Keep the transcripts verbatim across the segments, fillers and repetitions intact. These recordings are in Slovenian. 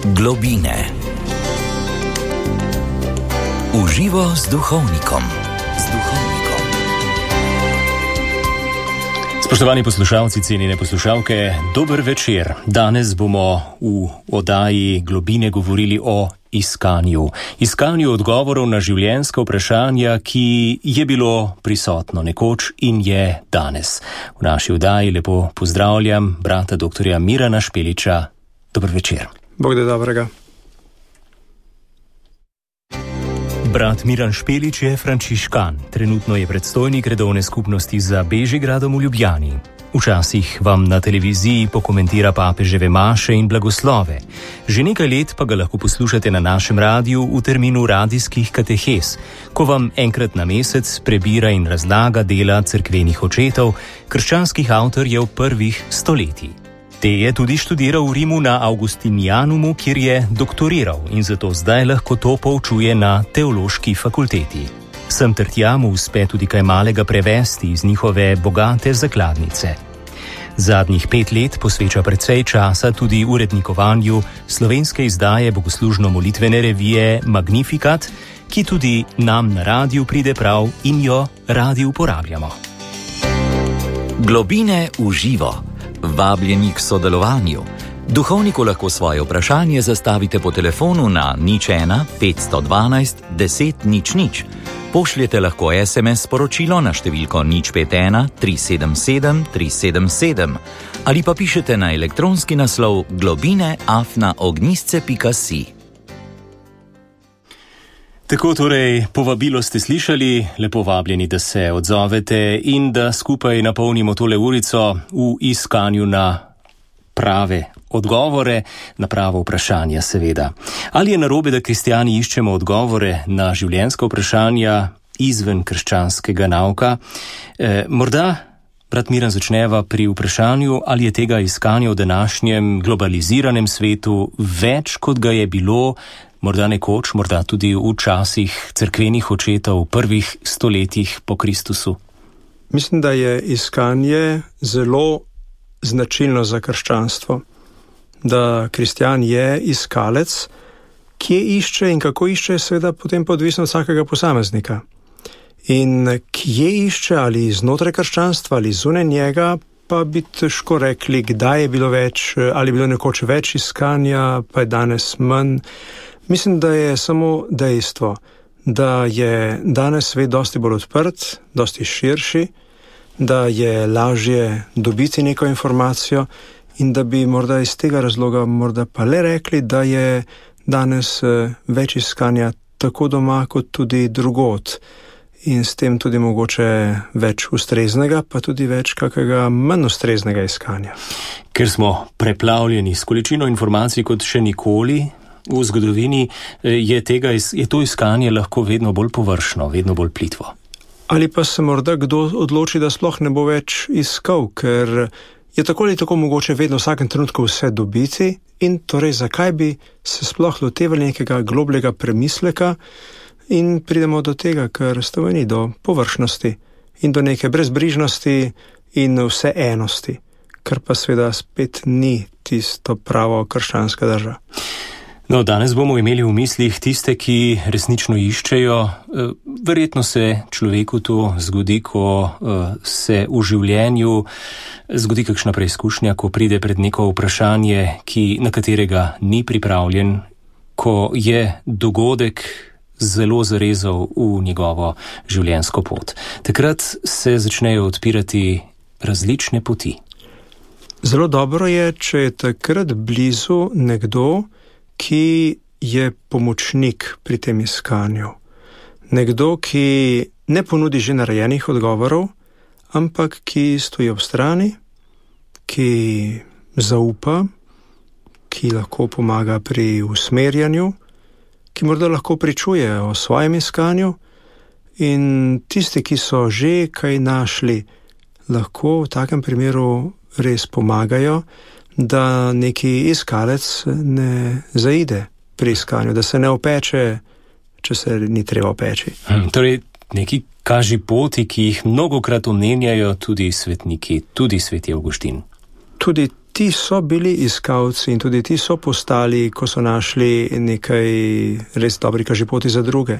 Globine. Uživo z duhovnikom. Z duhovnikom. Spoštovani poslušalci, cenjene poslušalke, dober večer. Danes bomo v oddaji Globine govorili o iskanju. Iskanju odgovorov na življenjska vprašanja, ki je bilo prisotno nekoč in je danes. V naši oddaji lepo pozdravljam brata doktorja Mirana Špeliča. Dober večer. Bog da dobrega. Brat Miran Špelič je frančiškan. Trenutno je predstojnik redovne skupnosti za Bežigradom v Ljubljani. Včasih vam na televiziji pokomentira papeževe maše in blagoslove. Že nekaj let pa ga lahko poslušate na našem radiju v terminu radijskih katehes, ko vam enkrat na mesec prebira in razlaga dela cerkvenih očetov, krščanskih avtorjev prvih stoletij. Te je tudi študiral v Rimu na Augustinianumu, kjer je doktoriral in zato zdaj lahko to poučuje na teološki fakulteti. Sem ter tja mu uspe tudi kaj malega prevesti iz njihove bogate zakladnice. Zadnjih pet let posveča precej časa tudi urednikovanju slovenske izdaje bogoslužno-molitvene revije Magnificat, ki tudi nam na radiju pride prav in jo radi uporabljamo. Globine v živo. Vabljeni k sodelovanju. Duhovniku lahko svoje vprašanje zastavite po telefonu na nič ena petsto dvanajst deset nič nič. Pošljete lahko es em es sporočilo na številko nič pet ena tri sedem sedem tri sedem sedem ali pa pišete na elektronski naslov globine afna ognjisce pika si. Tako torej, povabilo ste slišali, lepo vabljeni, da se odzovete in da skupaj napolnimo tole urico v iskanju na prave odgovore, na pravo vprašanje seveda. Ali je narobe, da kristjani iščemo odgovore na življenjska vprašanja izven krščanskega nauka? E, morda, brat Miran, začneva pri vprašanju, ali je tega iskanja v današnjem globaliziranem svetu več, kot ga je bilo morda nekoč, morda tudi v časih cerkvenih očetov v prvih stoletjih po Kristusu? Mislim, da je iskanje zelo značilno za krščanstvo. Da kristjan je iskalec, kje išče in kako išče, seveda potem pa odvisno od vsakega posameznika. In kje išče, ali znotraj krščanstva ali zunaj njega, pa bi težko rekli, kdaj je bilo več, ali je bilo nekoč več iskanja, pa je danes manj. Mislim, da je samo dejstvo, da je danes svet dosti bolj odprt, dosti širši, da je lažje dobiti neko informacijo in da bi morda iz tega razloga morda pa le rekli, da je danes več iskanja tako doma kot tudi drugod in s tem tudi mogoče več ustreznega, pa tudi več kakega manj ustreznega iskanja. Ker smo preplavljeni s količino informacij kot še nikoli v zgodovini, je, tega, je to iskanje lahko vedno bolj površno, vedno bolj plitvo. Ali pa se morda kdo odloči, da sploh ne bo več iskal, ker je tako ali tako mogoče vedno v vsakem trenutku vse dobiti in torej zakaj bi se sploh lotevali nekega globljega premisleka in pridemo do tega, kar stoveni do površnosti in do neke brezbrižnosti in vseenosti, kar pa seveda spet ni tisto pravo krščanska drža. No, danes bomo imeli v mislih tiste, ki resnično iščejo. Verjetno se človeku to zgodi, ko se v življenju zgodi kakšna preizkušnja, ko pride pred neko vprašanje, ki, na katerega ni pripravljen, ko je dogodek zelo zarezal v njegovo življenjsko pot. Takrat se začnejo odpirati različne poti. Zelo dobro je, če je takrat blizu nekdo, ki je pomočnik pri tem iskanju. Nekdo, ki ne ponudi že narejenih odgovorov, ampak ki stoji ob strani, ki zaupa, ki lahko pomaga pri usmerjanju, ki morda lahko pričuje o svojem iskanju in tisti, ki so že kaj našli, lahko v takem primeru res pomagajo, da neki iskalec ne zaide pri iskanju, da se ne opeče, če se ni treba opeči. Hmm, torej, neki kaži poti, ki jih mnogokrat omenjajo tudi svetniki, tudi sveti Avguštin. Tudi ti so bili iskalci in tudi ti so postali, ko so našli nekaj res dobrih kažipoti za druge.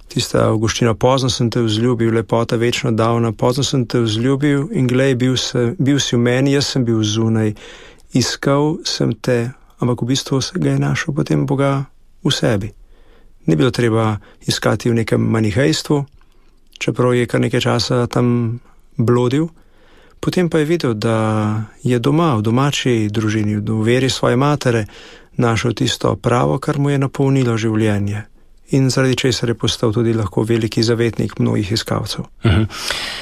Tista Avguština, pozno sem te vzljubil, lepota večno davna, pozno sem te vzljubil in glej, bil, se, bil si v meni, jaz sem bil zunaj, iskal sem te, ampak v bistvu se ga je našel potem Boga v sebi. Ni bilo treba iskati v nekem manihejstvu, čeprav je kar nekaj časa tam blodil, potem pa je videl, da je doma, v domači družini, v veri svoje matere, našel tisto pravo, kar mu je napolnilo življenje. In zaradi česar je postal tudi lahko veliki zavetnik mnogih iskalcev. Uh-huh.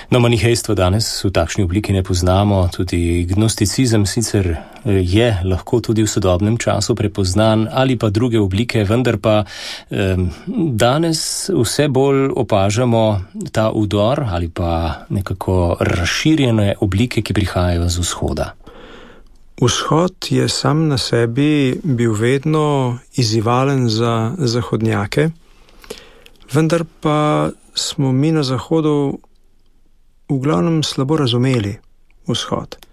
No, manihejstvo danes v takšni obliki ne poznamo, tudi gnosticizem sicer je lahko tudi v sodobnem času prepoznan ali pa druge oblike, vendar pa eh, danes vse bolj opažamo ta udor ali pa nekako razširjene oblike, ki prihajajo z vzhoda. Vzhod je sam na sebi bil vedno izzivalen za zahodnjake, vendar pa smo mi na zahodu v glavnem slabo razumeli vzhod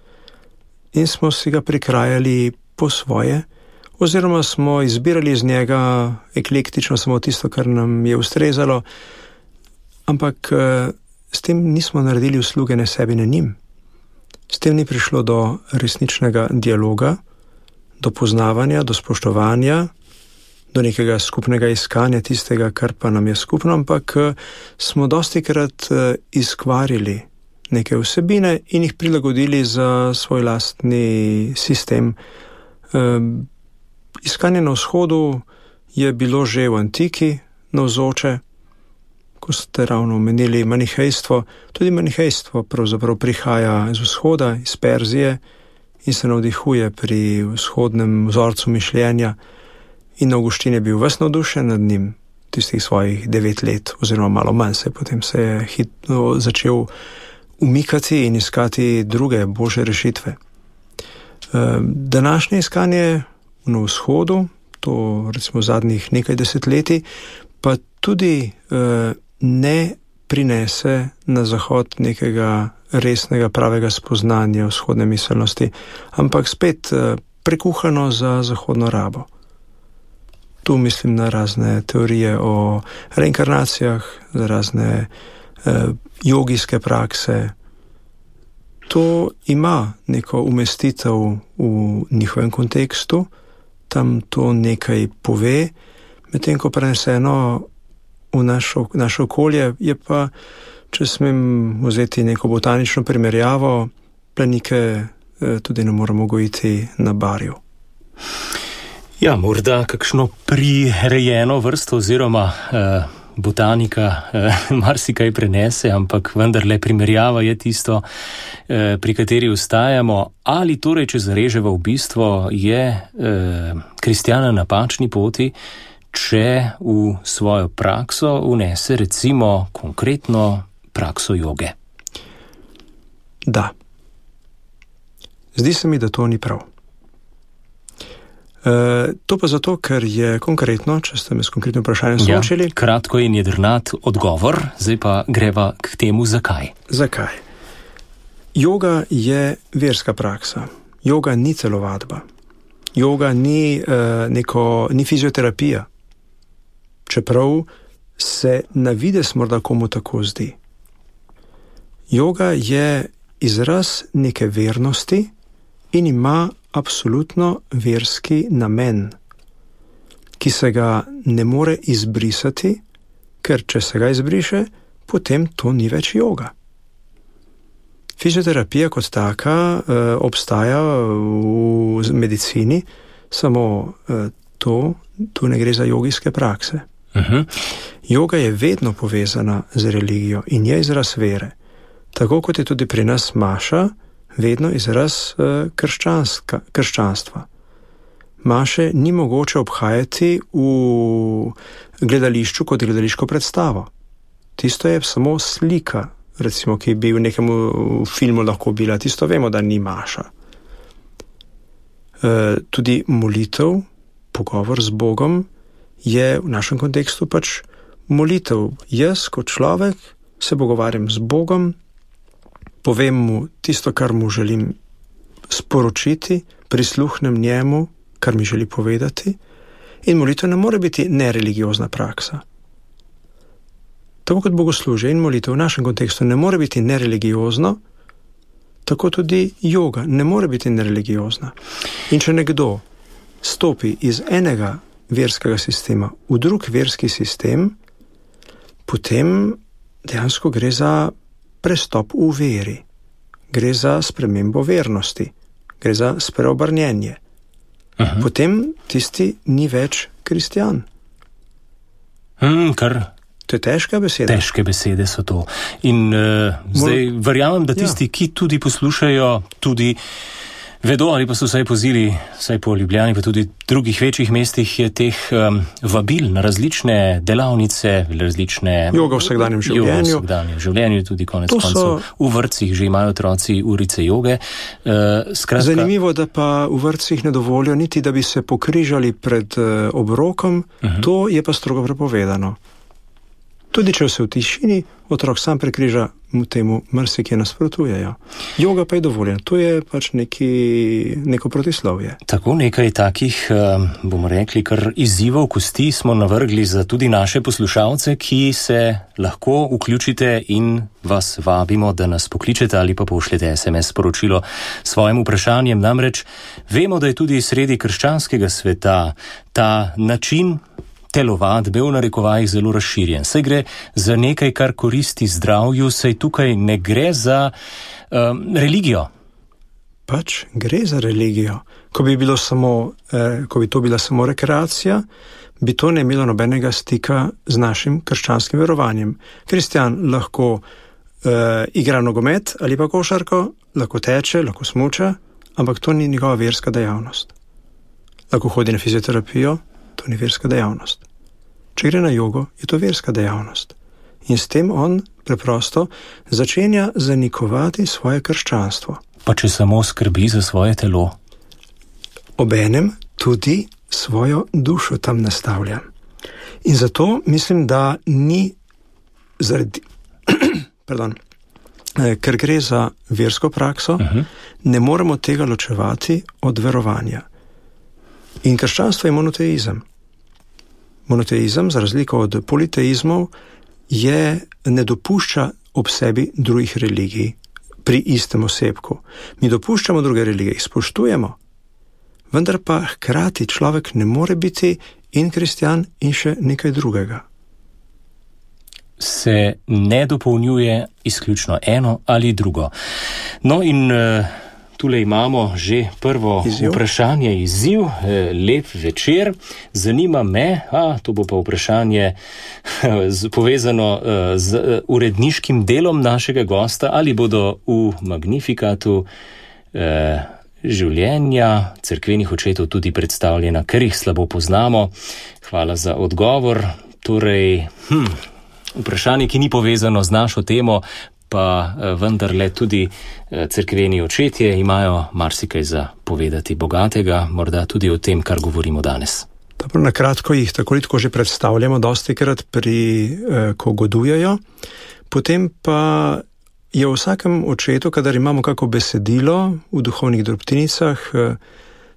in smo si ga prikrajali po svoje, oziroma smo izbirali iz njega eklektično samo tisto, kar nam je ustrezalo, ampak s tem nismo naredili usluge ne sebi, ne njim. S tem ni prišlo do resničnega dialoga, do poznavanja, do spoštovanja, do nekega skupnega iskanja tistega, kar pa nam je skupno, ampak smo dostikrat izkvarili neke vsebine in jih prilagodili za svoj lastni sistem. Iskanje na vzhodu je bilo že v antiki navzoče, ko ste ravno omenili manihejstvo. Tudi manihejstvo pravzaprav prihaja iz vzhoda, iz Perzije in se navdihuje pri vzhodnem vzorcu mišljenja. In Avguštin je bil ves navdušen nad njim, tistih svojih devet let, oziroma malo manj se, potem se je hitro začel umikati in iskati druge, božje rešitve. Današnje iskanje na vzhodu, to recimo zadnjih nekaj desetletij, pa tudi ne prinese na zahod nekega resnega, pravega spoznanja vzhodne miselnosti, ampak spet prekuhano za zahodno rabo. Tu mislim na razne teorije o reinkarnacijah, za razne eh, jogijske prakse. To ima neko umestitev v njihovem kontekstu, tam to nekaj pove, medtem ko preneseno v našo, našo okolje je pa, če smem vzeti neko botanično primerjavo, plenike eh, tudi ne moramo gojiti na barju. Ja, morda kakšno prirejeno vrsto oziroma eh, botanika eh, marsikaj prenese, ampak vendarle primerjava je tisto, eh, pri kateri ustajamo. Ali torej, če zareževa v bistvo, je eh, kristjana na napačni poti, če v svojo prakso vnese recimo konkretno prakso joge? Da. Zdi se mi, da to ni prav. Uh, to pa zato, ker je konkretno, če ste me s konkretnim vprašanjem soočili. Ja, kratko in jedrnat odgovor, zdaj pa greva k temu, zakaj. Zakaj? Joga je verska praksa. Joga ni telovadba. Joga ni, uh, neko, ni fizioterapija. Čeprav se na vides morda komu tako zdi. Joga je izraz neke vernosti in ima absolutno verski namen, ki se ga ne more izbrisati, ker če se ga izbriše, potem to ni več joga. Fizioterapija kot taka eh, obstaja v medicini, samo eh, to, tu ne gre za jogijske prakse. Uh-huh. Joga je vedno povezana z religijo in je izraz vere. Tako kot je tudi pri nas maša, vedno izraz uh, krščanstva. Maše ni mogoče obhajati v gledališču kot gledališko predstavo. Tisto je samo slika, recimo, ki bi v nekem filmu lahko bila. Tisto vemo, da ni maša. Uh, tudi molitev, pogovor z Bogom, je v našem kontekstu pač molitev. Jaz kot človek se pogovarjam z Bogom, povem mu tisto, kar mu želim sporočiti, prisluhnem njemu, kar mi želi povedati, in molitev ne more biti nereligiozna praksa. Tako kot bogoslužje in molitev v našem kontekstu ne more biti nereligiozno, tako tudi joga ne more biti nereligiozna. In če nekdo stopi iz enega verskega sistema v drug verski sistem, potem dejansko gre za prestop v veri, gre za spremembo vernosti, gre za spreobrnjenje. Aha. Potem tisti ni več kristjan. Hmm, kar... To je težka beseda. Težke besede so to. In uh, zdaj Mol... verjamem, da tisti, ja. ki tudi poslušajo, tudi vedo ali pa so vsaj pozili, vsaj po Ljubljani, pa tudi drugih večjih mestih je teh um, vabil na različne delavnice, različne... Joga v vsakdanjem življenju. Joga v vsakdanjem življenju, tudi konec koncev. So... V vrtcih že imajo otroci urice joge. Uh, skratka... Zanimivo, da pa v vrtcih ne dovolijo niti, da bi se pokrižali pred uh, obrokom, uh-huh. To je pa strogo prepovedano. Tudi če se v tišini otrok sam prekriža, mu temu marsikje nasprotujejo. Joga pa je dovoljen, to je pač neki, neko protislovje. Tako nekaj takih, bomo rekli, kar izzivov kosti smo navrgli za tudi naše poslušalce, ki se lahko vključite in vas vabimo, da nas pokličete ali pa pošljete es em es sporočilo s svojim vprašanjem. Namreč vemo, da je tudi sredi krščanskega sveta ta način telovadbe v narekovajih zelo razširjen. Saj gre za nekaj, kar koristi zdravju, saj tukaj ne gre za um, religijo. Pač gre za religijo. Ko bi, bilo samo, eh, ko bi to bila samo rekreacija, bi to ne imelo nobenega stika z našim krščanskim verovanjem. Kristjan lahko eh, igra nogomet ali pa košarko, lahko teče, lahko smuča, ampak to ni njegova verska dejavnost. Lahko hodi na fizioterapijo, to ni verska dejavnost. Če gre na jogo, je to verska dejavnost. In s tem on preprosto začenja zanikovati svoje krščanstvo. Pa če samo skrbi za svoje telo? Obenem tudi svojo dušo tam nastavlja. In zato mislim, da ni zaradi, pardon, ker gre za versko prakso, uh-huh. ne moremo tega ločevati od verovanja. In krščanstvo je monoteizem. Monoteizem, za razliko od politeizmov, je, ne dopušča ob sebi drugih religij pri istem osebku. Mi dopuščamo druge religije, jih spoštujemo, vendar pa hkrati človek ne more biti in kristjan in še nekaj drugega. Se ne dopolnjuje izključno eno ali drugo. No in... Uh... Tule imamo že prvo izziv. Vprašanje, izziv, lep večer. Zanima me, a to bo pa vprašanje z, povezano z uredniškim delom našega gosta, ali bodo v Magnifikatu eh, življenja cerkvenih očetov tudi predstavljena, ker jih slabo poznamo. Hvala za odgovor. Torej, hm, vprašanje, ki ni povezano z našo temo, pa vendarle tudi cerkveni očetje imajo marsikaj za povedati bogatega, morda tudi o tem, kar govorimo danes. Dobro, na kratko jih tako ali tako že predstavljamo dostikrat pri, eh, ko godujejo. Potem pa je v vsakem očetu, kadar imamo kako besedilo v duhovnih drobtinicah, eh,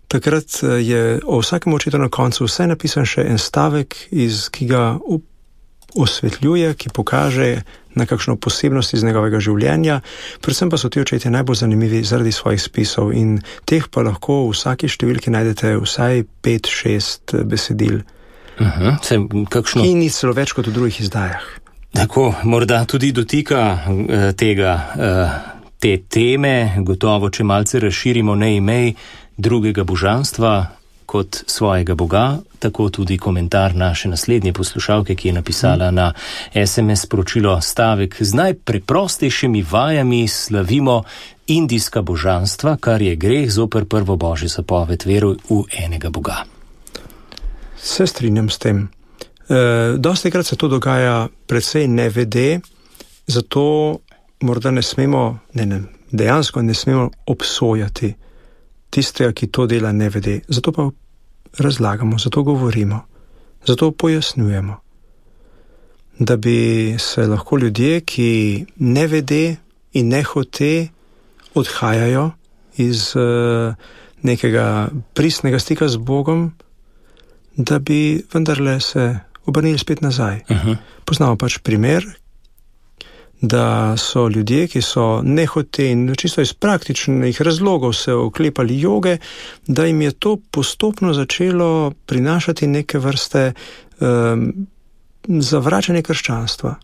takrat je o vsakem očetu na koncu vse napisan še en stavek, iz, ki ga osvetljuje, ki pokaže na kakšno posebnost iz njegovega življenja. Predvsem pa so ti očetje najbolj zanimivi zaradi svojih spisov in teh pa lahko v vsaki številki najdete vsaj pet, šest besedil. Uh-huh. Se, kakšno... In ni celo več kot v drugih izdajah. Tako, morda tudi dotika uh, tega, uh, te teme, gotovo, če malce razširimo, ne imej drugega božanstva kot svojega Boga, tako tudi komentar naše naslednje poslušalke, ki je napisala na es em es sporočilo stavek: z najpreprostejšimi vajami slavimo indijska božanstva, kar je greh zoper prvo božjo zapoved, veruj v enega Boga. Se strinjam s tem. E, dostikrat se to dogaja precej nevede, zato morda ne smemo, ne, ne, dejansko ne smemo obsojati tistega, ki to dela nevede. Zato pa razlagamo, zato govorimo, zato pojasnjujemo. Da bi se lahko ljudje, ki nevede in nehote odhajajo iz uh, nekega pristnega stika z Bogom, da bi vendarle se obrnili spet nazaj. Uh-huh. Poznamo pač primer, da so ljudje, ki so nehote in čisto iz praktičnih razlogov se oklepali joge, da jim je to postopno začelo prinašati neke vrste um, zavračanje krščanstva.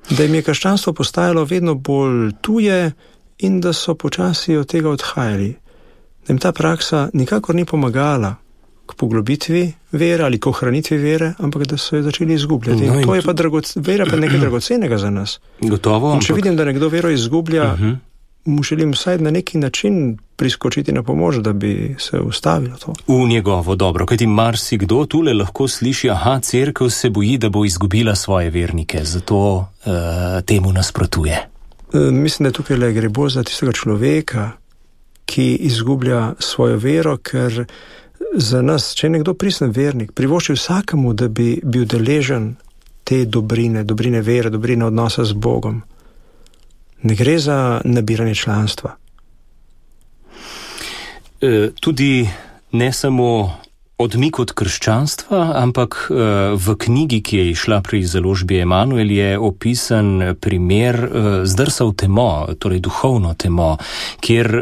Da jim je krščanstvo postajalo vedno bolj tuje in da so počasi od tega odhajali. Da jim ta praksa nikakor ni pomagala k poglobitvi vere ali k ohranitvi vere, ampak da so jo začeli izgubljati. No, in to je pa dragoc- vera pa nekaj dragocenega za nas. Gotovo. In če ampak... vidim, da nekdo vero izgublja, uh-huh. mu želim vsaj na neki način priskočiti na pomoč, da bi se ustavilo to. V njegovo dobro, kajti marsikdo tule lahko sliši, aha, cerkev se boji, da bo izgubila svoje vernike, zato uh, temu nasprotuje. E, mislim, da tukaj le gre bolj za tistega človeka, ki izgublja svojo vero, ker za nas, če je nekdo pristen vernik, privošči vsakemu, da bi bil deležen te dobrine, dobrine vere, dobrine odnosa z Bogom. Ne gre za nabiranje članstva. E, tudi ne samo odmik od krščanstva, ampak e, v knjigi, ki je išla pri založbi Emanuel, je opisan primer e, zdrsa v temo, torej duhovno temo, kjer e,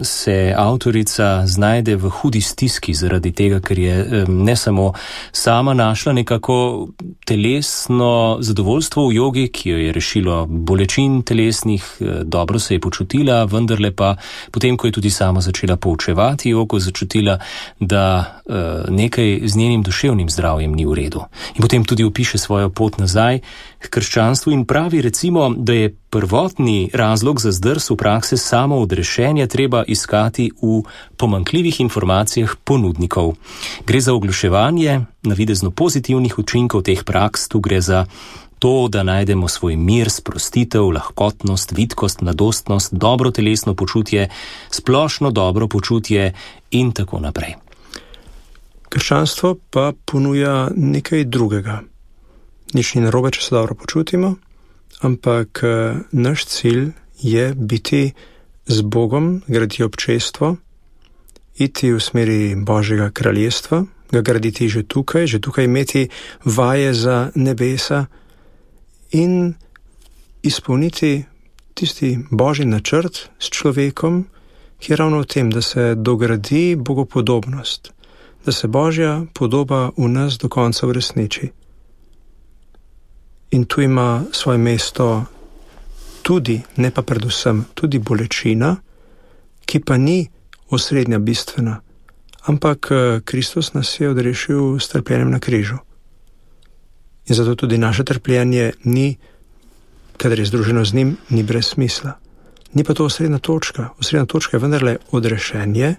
se avtorica znajde v hudi stiski zaradi tega, ker je e, ne samo sama našla nekako telesno zadovoljstvo v jogi, ki jo je rešilo bolečin telesnih, e, dobro se je počutila, vendarle pa potem, ko je tudi sama začela poučevati jogo, začutila, da e, nekaj z njenim duševnim zdravjem ni v redu. In potem tudi opiše svojo pot nazaj k krščanstvu in pravi recimo, da je prvotni razlog za zdrs v prakse samo odrešenje treba iskati v pomanjkljivih informacijah ponudnikov. Gre za ogluševanje navidezno pozitivnih učinkov teh praks, tu gre za to, da najdemo svoj mir, sprostitev, lahkotnost, vitkost, mladostnost, dobro telesno počutje, splošno dobro počutje in tako naprej. Krščanstvo pa ponuja nekaj drugega. Nič ni narobe, če se dobro počutimo, ampak naš cilj je biti z Bogom, graditi občestvo, iti v smeri Božjega kraljestva, ga graditi že tukaj, že tukaj imeti vaje za nebesa in izpolniti tisti Božji načrt s človekom, ki je ravno v tem, da se dogradi bogopodobnost, da se Božja podoba v nas do konca uresniči. In tu ima svoje mesto tudi, ne pa predvsem, tudi bolečina, ki pa ni osrednja bistvena, ampak Kristus nas je odrešil s trpljenjem na križu. In zato tudi naše trpljenje ni, kadar je združeno z njim, ni brez smisla. Ni pa to osrednja točka. Osrednja točka je vendarle odrešenje.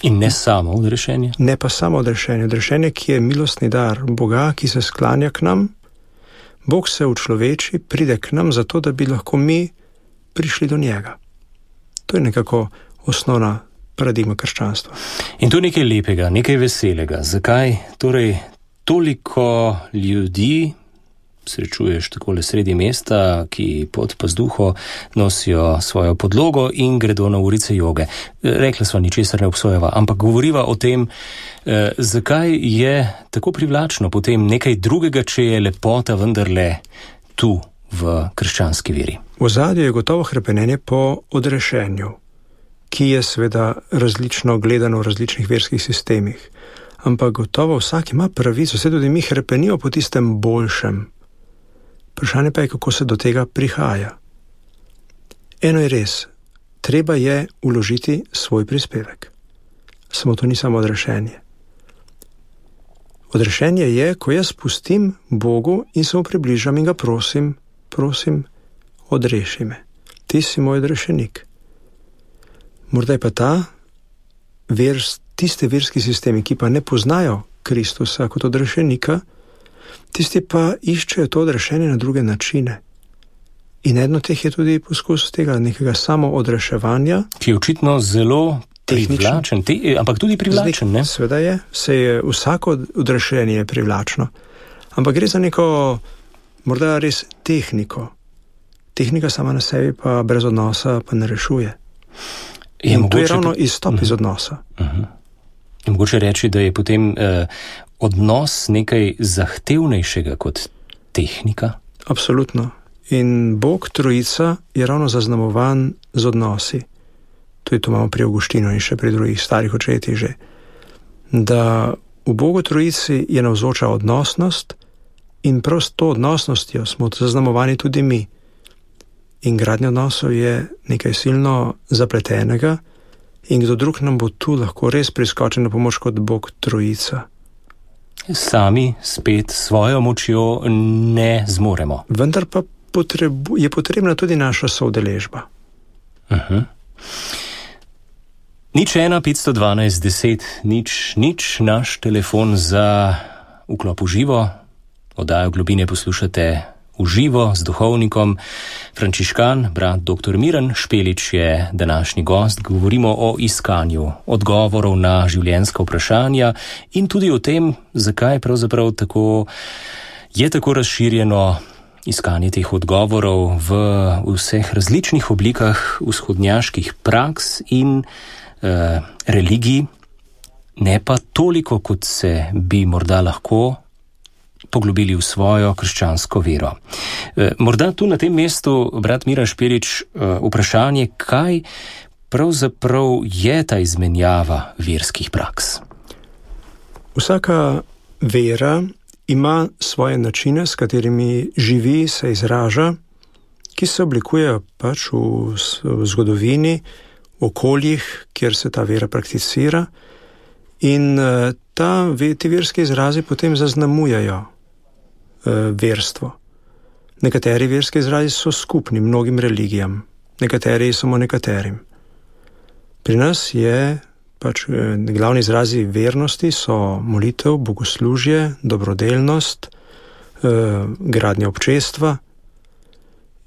In ne samo odrešenje? Ne pa samo odrešenje. Odrešenje, ki je milostni dar Boga, ki se sklanja k nam. Bog se učloveči, pride k nam zato, da bi lahko mi prišli do njega. To je nekako osnovna paradigma krščanstva. In to je nekaj lepega, nekaj veselega. Zakaj torej toliko ljudi srečuješ takole sredi mesta, ki pod pazduho nosijo svojo podlogo in gredo na urice joge? Rekla sva, ničesar ne obsojava, ampak govoriva o tem, eh, zakaj je tako privlačno potem nekaj drugega, če je lepota vendarle tu v krščanski veri. V ozadju je gotovo hrepenenje po odrešenju, ki je seveda različno gledano v različnih verskih sistemih. Ampak gotovo vsak ima pravico, vse tudi mi hrepenijo po tistem boljšem. Vprašanje pa je, kako se do tega prihaja. Eno je res, treba je vložiti svoj prispevek. Samo to ni samo odrešenje. Odrešenje je, ko jaz pustim Bogu in se mu približam in ga prosim, prosim, odreši me. Ti si moj odrešenik. Morda je pa ta vers, tiste verski sistemi, ki pa ne poznajo Kristusa kot odrešenika, tisti pa iščejo to odrešenje na druge načine. In eno teh je tudi poskus tega nekega samo odreševanja. Ki je očitno zelo privlačen, te, ampak tudi privlačen, ne? Sveda je, se je vsako odrešenje privlačno. Ampak gre za neko, morda res tehniko. Tehnika sama na sebi pa brez odnosa pa ne rešuje. Je in to je ravno izstop uh-huh. iz odnosa. Uh-huh. Je mogoče reči, da je potem uh, odnos nekaj zahtevnejšega kot tehnika? Absolutno. In Bog Trojica je ravno zaznamovan z odnosi. Tudi to imamo pri Avguštinu in še pri drugih starih očetih že. Da v Bogu Trojici je navzoča odnosnost in prav s to odnosnostjo smo zaznamovani tudi mi. In gradnja odnosov je nekaj silno zapletenega in kdo drug nam bo tu lahko res priskočil na pomoč kot Bog Trojica. Sami spet svojo močjo ne zmoremo. Vendar pa potrebu, je potrebna tudi naša soudeležba. Uh-huh. Nič ena, petsto dvanajst, deset, nič, nič, naš telefon za vklop v živo. Oddajo Globine poslušate v živo z duhovnikom. Frančiškan, brat doktor Miran Špelič je današnji gost. Govorimo o iskanju odgovorov na življenjska vprašanja in tudi o tem, zakaj pravzaprav tako je tako razširjeno iskanje teh odgovorov v vseh različnih oblikah vzhodnjaških praks in eh, religij, ne pa toliko, kot se bi morda lahko poglobili v svojo krščansko vero. E, morda tu na tem mestu, brat Miran Špelič, e, vprašanje, kaj pravzaprav je ta izmenjava verskih praks? Vsaka vera ima svoje načine, s katerimi živi, se izraža, ki se oblikujejo pač v, v zgodovini, v okoljih, kjer se ta vera prakticira in ta, ti verski izrazi potem zaznamujajo verstvo. Nekateri verski izrazi so skupni mnogim religijam, nekateri samo nekaterim. Pri nas je pač glavni izrazi vernosti so molitev, bogoslužje, dobrodelnost, gradnja občestva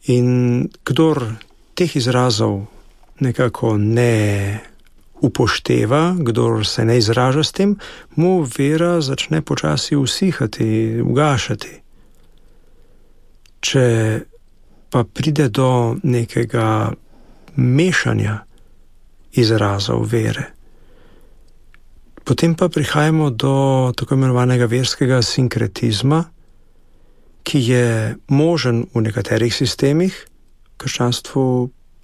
in kdor teh izrazov nekako ne upošteva, kdor se ne izraža s tem, mu vera začne počasi usihati, ugašati. Če pa pride do nekega mešanja izrazov vere, potem pa prihajamo do tako imenovanega verskega sinkretizma, ki je možen v nekaterih sistemih, v krščanstvu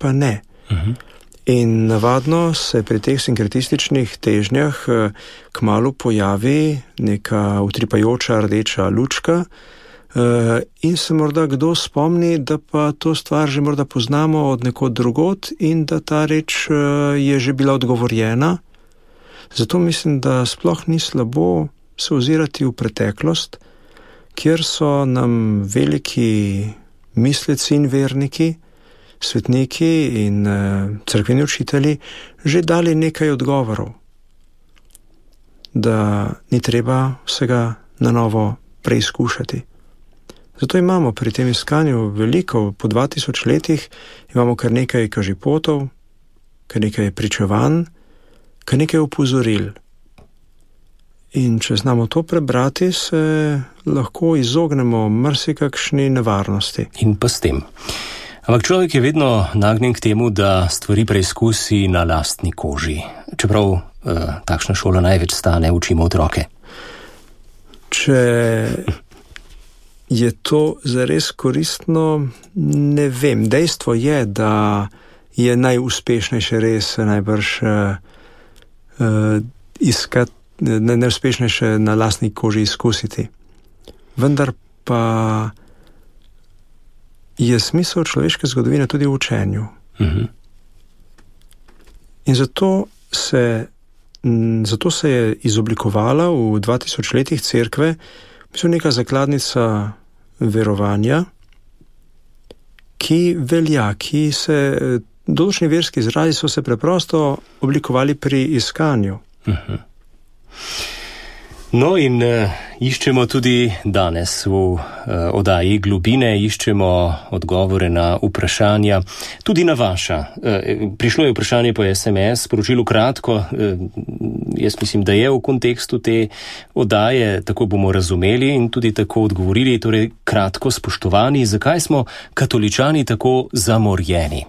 pa ne. Uh-huh. In navadno se pri teh sinkretističnih težnjah kmalu pojavi neka utripajoča rdeča lučka in se morda kdo spomni, da pa to stvar že morda poznamo od nekod drugod in da ta reč je že bila odgovorjena. Zato mislim, da sploh ni slabo se ozirati v preteklost, kjer so nam veliki misleci in verniki, svetniki in uh, cerkveni učitelji že dali nekaj odgovorov, da ni treba vsega na novo preizkušati. Zato imamo pri tem iskanju veliko, po dva tisoč letih imamo kar nekaj kažipotov, kar nekaj pričevanj, kar nekaj opozoril. In če znamo to prebrati, se lahko izognemo marsikakšni nevarnosti. In pa s tem. Ampak človek je vedno nagnjen k temu, da stvari preizkusi na lastni koži. Čeprav eh, takšna šola največ stane, učimo otroke. Če je to zares koristno, ne vem. Dejstvo je, da je najuspešnejše res najbrž uh, uh, iskati, najuspešnejše na lastni koži izkusiti. Vendar pa je smisel človeške zgodovine tudi v učenju. Uh-huh. In zato se, zato se je izoblikovala v dva tisoč letih cerkve, mislim, neka zakladnica verovanja, ki velja, ki se, določeni verski izrazi so se preprosto oblikovali pri iskanju. Uh-huh. No in uh, iščemo tudi danes v uh, oddaji Globine, iščemo odgovore na vprašanja, tudi na vaša. Uh, prišlo je vprašanje po es em es, sporočilo kratko, uh, jaz mislim, da je v kontekstu te oddaje, tako bomo razumeli in tudi tako odgovorili, torej kratko, spoštovani, zakaj smo katoličani tako zamorjeni?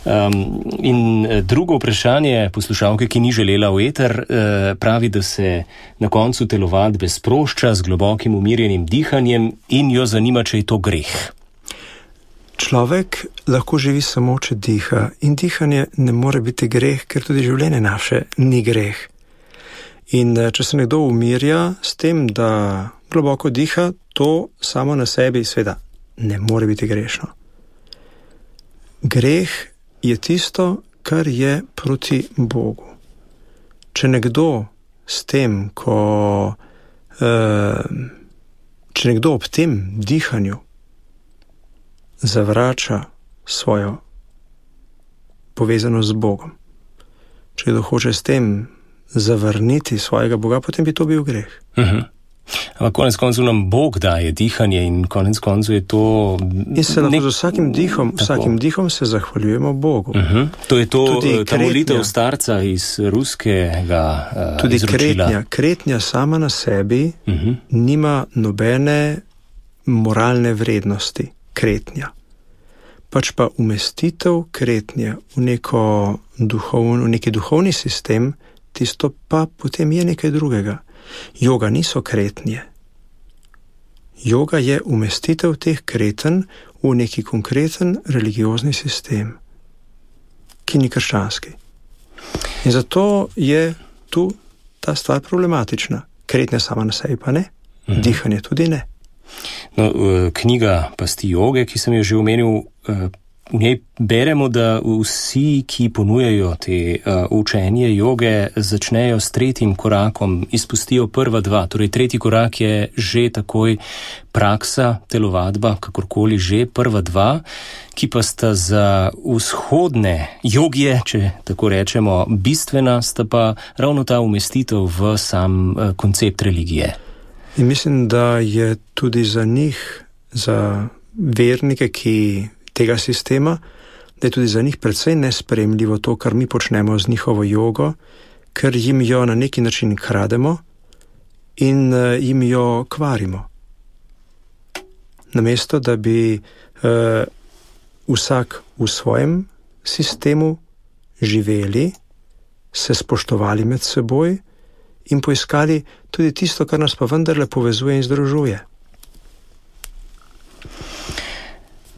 Um, in drugo vprašanje poslušalke, ki ni želela v eter, uh, pravi, da se na koncu telovadbe sprošča z globokim umirjenim dihanjem in jo zanima, če je to greh. Človek lahko živi samo, če diha, in dihanje ne more biti greh, ker tudi življenje naše ni greh. In če se nekdo umirja s tem, da globoko diha, to samo na sebi seveda ne more biti grešno. Greh je tisto, kar je proti Bogu. Če nekdo s tem, ko, uh, če nekdo ob tem dihanju zavrača svojo povezanost z Bogom, če kdo hoče s tem zavrniti svojega Boga, potem bi to bil greh. Uh-huh. Ampak konec koncev nam Bog daje dihanje in konec koncev je to... In se lahko nek... z vsakim dihom, vsakim dihom se zahvaljujemo Bogu. Uh-huh. To je to, ta molitev starca iz ruskega uh, tudi izročila. Kretnja, kretnja sama na sebi uh-huh. nima nobene moralne vrednosti. Kretnja. Pač pa umestitev kretnje v, neko duhovn, v neki duhovni sistem, tisto pa potem je nekaj drugega. Joga niso kretnje. Joga je umestitev teh kreten v neki konkreten religiozni sistem, ki ni krščanski. In zato je tu ta stvar problematična. Kretnja sama na sebi pa ne, mhm. dihanje tudi ne. No, knjiga Pasti joge, ki sem jo že omenil, v njej beremo, da vsi, ki ponujajo te uh, učenje joge, začnejo s tretjim korakom, izpustijo prva dva. Torej, tretji korak je že takoj praksa, telovadba, kakorkoli že, prva dva, ki pa sta za vzhodne jogije, če tako rečemo, bistvena, sta pa ravno ta umestitev v sam uh, koncept religije. In mislim, da je tudi za njih, za vernike, ki tega sistema, da je tudi za njih precej nesprejemljivo to, kar mi počnemo z njihovo jogo, ker jim jo na neki način krademo in uh, jim jo kvarimo. Namesto, da bi uh, vsak v svojem sistemu živeli, se spoštovali med seboj in poiskali tudi tisto, kar nas pa vendarle povezuje in združuje.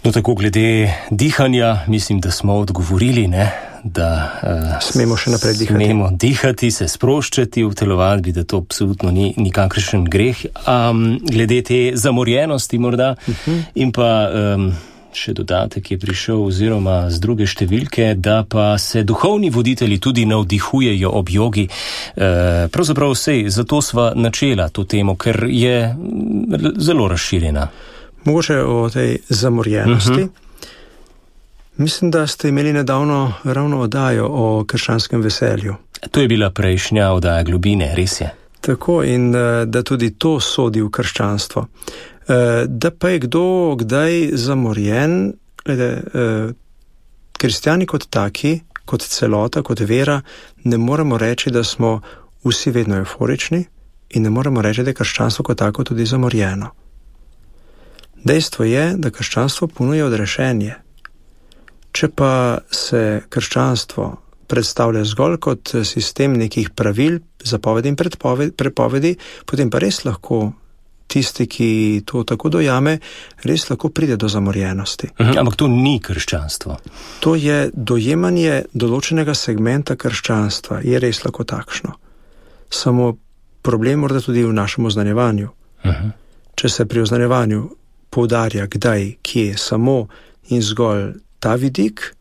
No, tako glede dihanja, mislim, da smo odgovorili, ne, da uh, smemo še naprej dihati. Smemo dihati, se sproščati v telovadbi, da to absolutno ni nikakršen greh. Um, glede te zamorjenosti morda uh-huh. in pa um, še dodatek je prišel oziroma z druge številke, da pa se duhovni voditelji tudi navdihujejo ob jogi. Uh, pravzaprav vsej, zato sva načela to temo, ker je zelo razširjena. Mogoče o tej zamorjenosti. Uh-huh. Mislim, da ste imeli nedavno ravno oddajo o krščanskem veselju. To je bila prejšnja oddaja Globine, res je. Tako, in da tudi to sodi v krščanstvo. Da pa je kdo kdaj zamorjen, glede, kristjani kot taki, kot celota, kot vera, ne moremo reči, da smo vsi vedno euforični in ne moremo reči, da je krščanstvo kot tako tudi zamorjeno. Dejstvo je, da krščanstvo ponuja odrešenje. Če pa se krščanstvo predstavlja zgolj kot sistem nekih pravil, zapovedi in prepovedi, potem pa res lahko tisti, ki to tako dojame, res lahko pride do zamorjenosti. Mhm, ampak to ni krščanstvo. To je dojemanje določenega segmenta krščanstva, je res lahko takšno. Samo problem morda tudi v našem oznanjevanju. Mhm. Če se pri oznanjevanju poudarja, kdaj, kje, samo in zgolj ta vidik,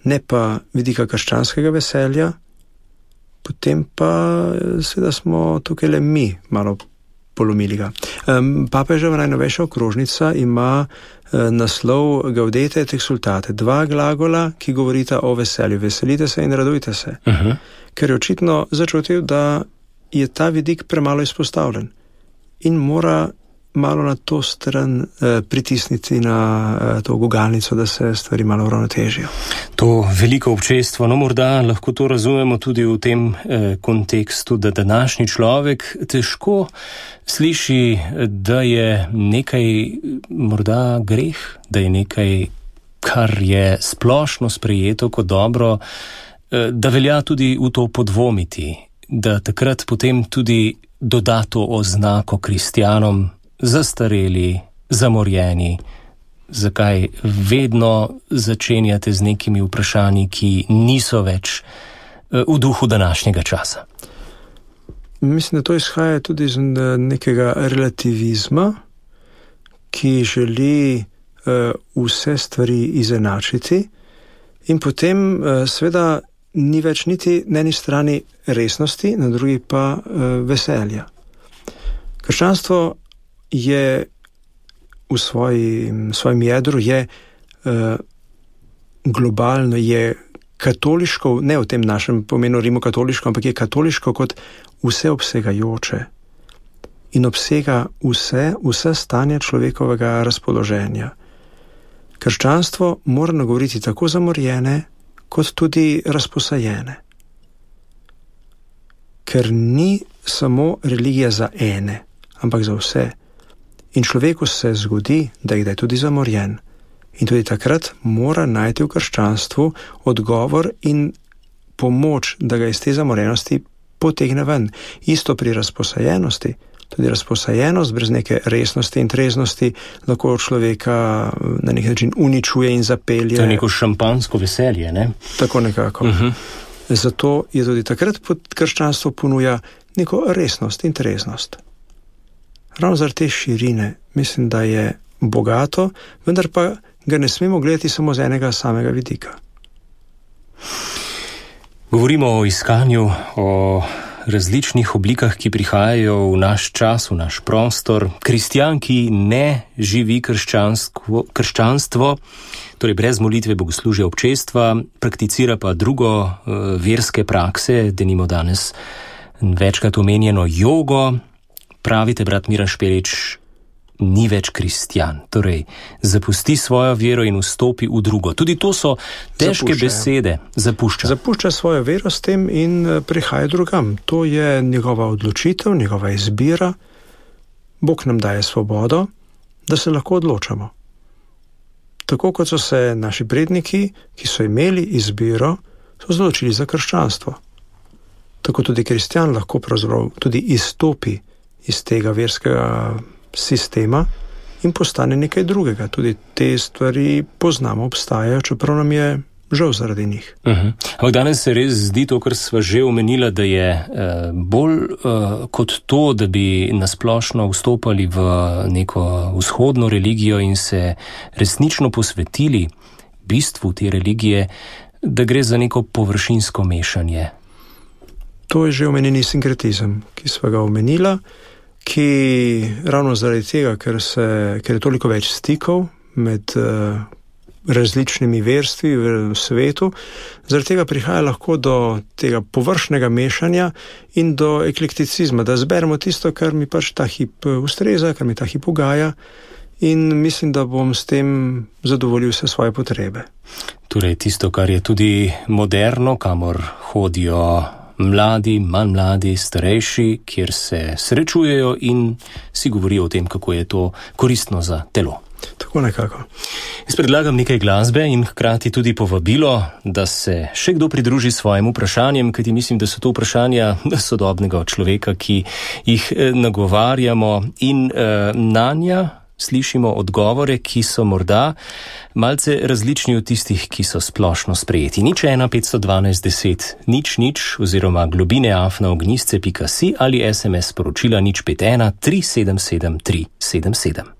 ne pa vidika krščanskega veselja, potem pa seveda smo tukaj le mi malo polomili ga. Um, Papeževa najnovejša okrožnica ima uh, naslov Gaudete et exsultate, dva glagola, ki govorita o veselju. Veselite se in radujte se. Uh-huh. Ker je očitno začutil, da je ta vidik premalo izpostavljen in mora malo na to stran eh, pritisniti na eh, to gugalnico, da se stvari malo uravnotežijo. To veliko občestvo, no morda lahko to razumemo tudi v tem eh, kontekstu, da današnji človek težko sliši, da je nekaj morda greh, da je nekaj kar je splošno sprejeto kot dobro, da velja tudi v to podvomiti, da takrat potem tudi doda to oznako kristjanom, zastareli, zamorjeni. Zakaj vedno začenjate z nekimi vprašanji, ki niso več v duhu današnjega časa? Mislim, da to izhaja tudi iz nekega relativizma, ki želi uh, vse stvari izenačiti in potem uh, seveda ni več niti na eni strani resnosti, na drugi pa uh, veselja. Krščanstvo je v svojem, svojem jedru je uh, globalno, je katoliško, ne v tem našem pomenu rimokatoliško, ampak je katoliško kot vseobsegajoče in obsega vse, vse stanje človekovega razpoloženja. Krščanstvo mora nagovoriti tako zamorjene, kot tudi razposajene. Ker ni samo religija za ene, ampak za vse. In človeku se zgodi, da je tudi zamorjen. In tudi takrat mora najti v krščanstvu odgovor in pomoč, da ga iz te zamorjenosti potegne ven. Isto pri razposajenosti. Tudi razposajenost brez neke resnosti in treznosti lahko človeka na nek način uničuje in zapelje. To je neko šampansko veselje, ne? Tako nekako. Uh-huh. Zato je tudi takrat krščanstvo ponuja neko resnost in treznost. Ravno zaradi te širine mislim, da je bogato, vendar pa ga ne smemo gledati samo z enega samega vidika. Govorimo o iskanju, o različnih oblikah, ki prihajajo v naš čas, v naš prostor. Kristjan, ki ne živi krščanstvo, krščanstvo, torej brez molitve, bogoslužja, občestva, prakticira pa drugo uh, verske prakse, denimo danes večkrat omenjeno jogo. Pravite, brat Miran Špelič, ni več kristjan, torej zapusti svojo vero in vstopi v drugo. Tudi to so težke zapušča, besede. Zapušča. Zapušča svojo vero s tem in prihaja drugam. To je njegova odločitev, njegova izbira. Bog nam daje svobodo, da se lahko odločamo. Tako kot so se naši predniki, ki so imeli izbiro, so odločili za krščanstvo. Tako tudi kristjan lahko pravzaprav tudi izstopi iz tega verskega sistema in postane nekaj drugega. Tudi te stvari poznamo, obstajajo, čeprav nam je žal zaradi njih. Uh-huh. Ampak danes se res zdi to, kar sva že omenila, da je uh, bolj uh, kot to, da bi nasplošno vstopali v neko vzhodno religijo in se resnično posvetili bistvu te religije, da gre za neko površinsko mešanje. To je že omenjeni sinkretizem, ki sva ga omenila, ki ravno zaradi tega, ker, se, ker je toliko več stikov med uh, različnimi verstvi v svetu, zaradi tega prihaja lahko do tega površnega mešanja in do eklekticizma, da zberemo tisto, kar mi pač ta hip ustreza, kar mi ta hip ugaja in mislim, da bom s tem zadovoljil vse svoje potrebe. Torej tisto, kar je tudi moderno, kamor hodijo mladi, manj mladi, starejši, kjer se srečujejo in si govorijo o tem, kako je to koristno za telo. Tako nekako. Jaz predlagam nekaj glasbe in hkrati tudi povabilo, da se še kdo pridruži svojim vprašanjem, kajti mislim, da so to vprašanja sodobnega človeka, ki jih nagovarjamo in uh, nanja slišimo odgovore, ki so morda malce različni od tistih, ki so splošno sprejeti. Nič ena petsto dvanajst deset nič nič oziroma globine afna ognjisce pika si ali es em es sporočila nič pet ena tri sedem sedem tri sedem sedem. No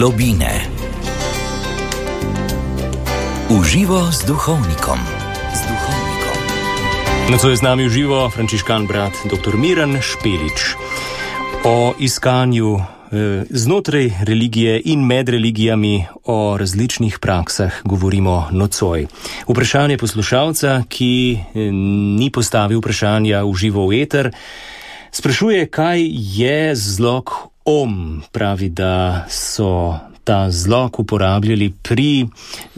globine. Uživo z duhovnikom. Z duhovnikom. Nocoj je z nami v živo frančiškan brat dr. Miran Špelič. O iskanju eh, znotraj religije in med religijami, o različnih praksah govorimo nocoj. Vprašanje poslušalca, ki eh, ni postavil vprašanja v živo v eter, sprašuje, kaj je zlog om. Pravi, da so ta zlog uporabljali pri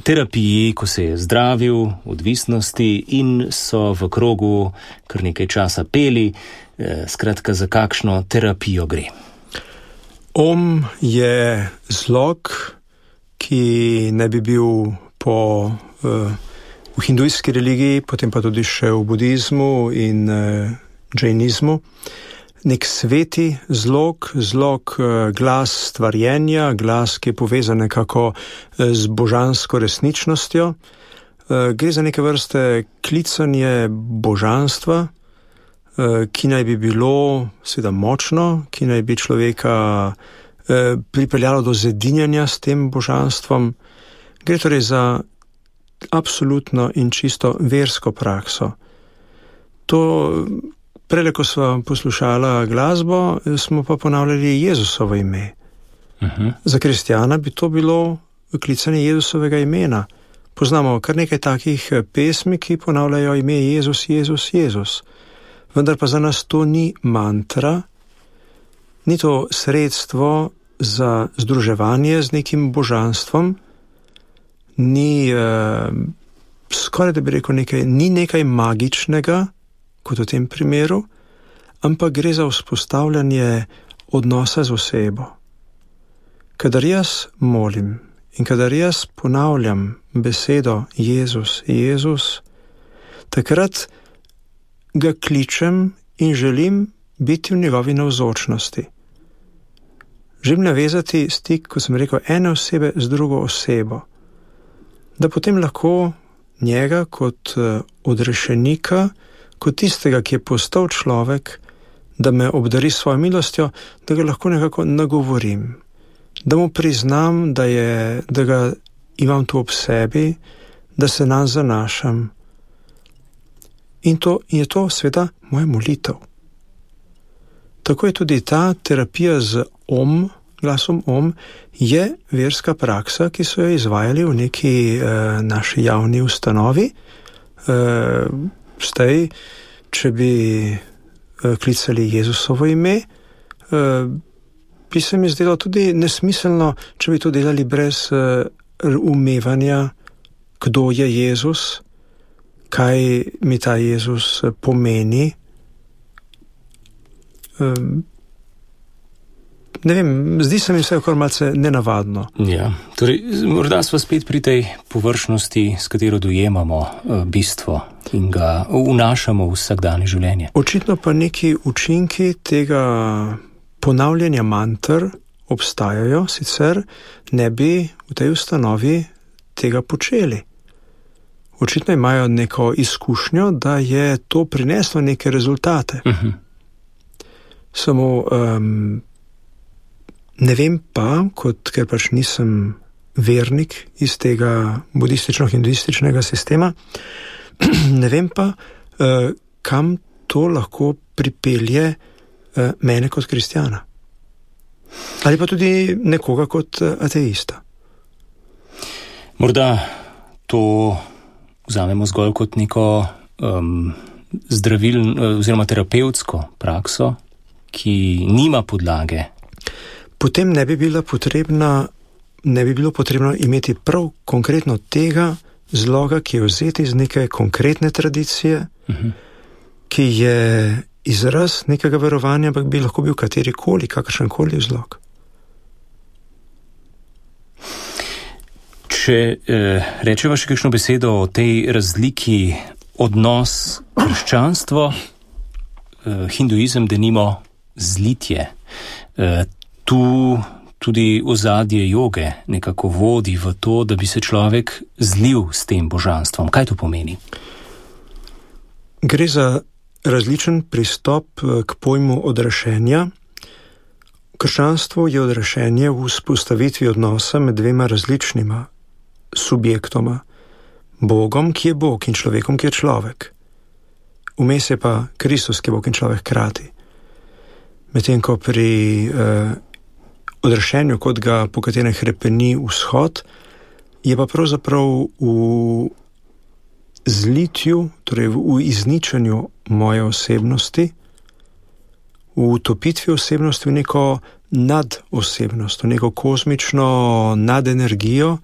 terapiji, ko se je zdravil odvisnosti in so v krogu kar nekaj časa peli. Skratka, za kakšno terapijo gre? Om je zlog, ki ne bi bil po, uh, v hindujski religiji, potem pa tudi še v budizmu in uh, džainizmu, nek sveti zlog, zlog uh, glas stvarjenja, glas, ki je povezan nekako z božansko resničnostjo. Uh, gre za neke vrste klicanje božanstva, ki naj bi bilo seveda močno, ki naj bi človeka eh, pripeljalo do zedinjanja s tem božanstvom. Gre torej za absolutno in čisto versko prakso. To, prele, ko smo poslušala glasbo, smo pa ponavljali Jezusovo ime. Uh-huh. Za kristjana bi to bilo klicanje Jezusovega imena. Poznamo kar nekaj takih pesmi, ki ponavljajo ime Jezus, Jezus, Jezus. Vendar pa za nas to ni mantra, ni to sredstvo za združevanje z nekim božanstvom, ni eh, skoraj da bi rekel nekaj, ni nekaj magičnega, kot v tem primeru, ampak gre za vzpostavljanje odnosa z osebo. Kadar jaz molim in kadar jaz ponavljam besedo Jezus, Jezus, takrat ga kličem in želim biti v njegovi navzočnosti. Želim navezati stik, kot sem rekel, ene osebe z drugo osebo, da potem lahko njega kot odrešenika, kot tistega, ki je postal človek, da me obdari svojo milostjo, da ga lahko nekako nagovorim, da mu priznam, da, je, da ga imam tu ob sebi, da se nam zanašam. In to je to seveda moja molitev. Tako je tudi ta terapija z om, glasom om, je verska praksa, ki so jo izvajali v neki eh, naši javni ustanovi. Eh, zdaj, če bi eh, klicali Jezusovo ime, eh, bi se mi zdelo tudi nesmiselno, če bi to delali brez eh, umevanja, kdo je Jezus, kaj mi ta Jezus pomeni. Um, ne vem, zdi se mi vse kar malce nenavadno. Ja, torej, morda smo spet pri tej površnosti, s katero dojemamo uh, bistvo in ga vnašamo v vsakdanje življenje. Očitno pa neki učinki tega ponavljanja mantr obstajajo, sicer ne bi v tej ustanovi tega počeli. Očitno imajo neko izkušnjo, da je to prineslo neke rezultate. Uh-huh. Samo um, ne vem pa, kot, ker pač nisem vernik iz tega budistično-hinduističnega sistema, ne vem pa, uh, kam to lahko pripelje uh, mene kot kristjana. Ali pa tudi nekoga kot uh, ateista. Morda to vzamemo zgolj kot neko um, zdravilno oziroma terapevtsko prakso, ki nima podlage. Potem ne bi bila potrebna, ne bi bilo potrebno imeti prav konkretno tega zloga, ki je vzeti iz neke konkretne tradicije, uh-huh. ki je izraz nekega verovanja, ampak bi lahko bil katerikoli, kakršenkoli zlog. Če eh, rečeva še kakšno besedo o tej razliki odnos krščanstvo, eh, hinduizem, denimo zlitje. Eh, tu tudi ozadje joge nekako vodi v to, da bi se človek zlil s tem božanstvom. Kaj to pomeni? Gre za različen pristop k pojmu odrešenja, krščanstvo je odrešenje v vzpostavitvi odnosa med dvema različnima subjektoma, Bogom, ki je Bog, in človekom, ki je človek. Vmes je pa Kristus, ki je Bog in človek hkrati. Medtem ko pri eh, odrešenju, kot ga po katerem hrepeni vzhod, je pa pravzaprav v zlitju, torej v izničenju moje osebnosti, v utopitvi osebnosti v neko nadosebnost, v neko kozmično nadenergijo,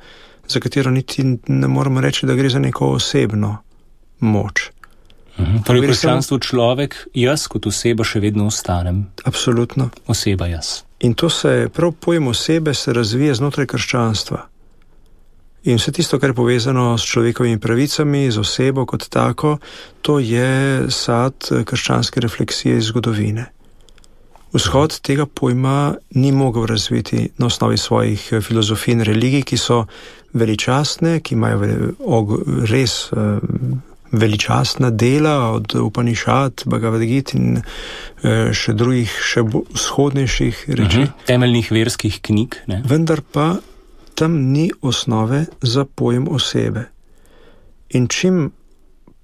za katero niti ne moramo reči, da gre za neko osebno moč. Mhm. Torej, v krščanstvu človek, jaz kot oseba še vedno ostanem. Absolutno. Oseba jaz. In to se, prav pojem osebe se razvije znotraj krščanstva. In vse tisto, kar je povezano s človekovimi pravicami, z osebo kot tako, to je sad krščanske refleksije iz zgodovine. Vzhod tega pojma ni mogel razviti na osnovi svojih filozofij in religij, ki so veličastne, ki imajo res veličastna dela od Upanišad, Bhagavad Gita in še drugih, še vzhodnejših reči. Uh-huh. Temeljnih verskih knjig. Ne? Vendar pa tam ni osnove za pojem osebe. In čim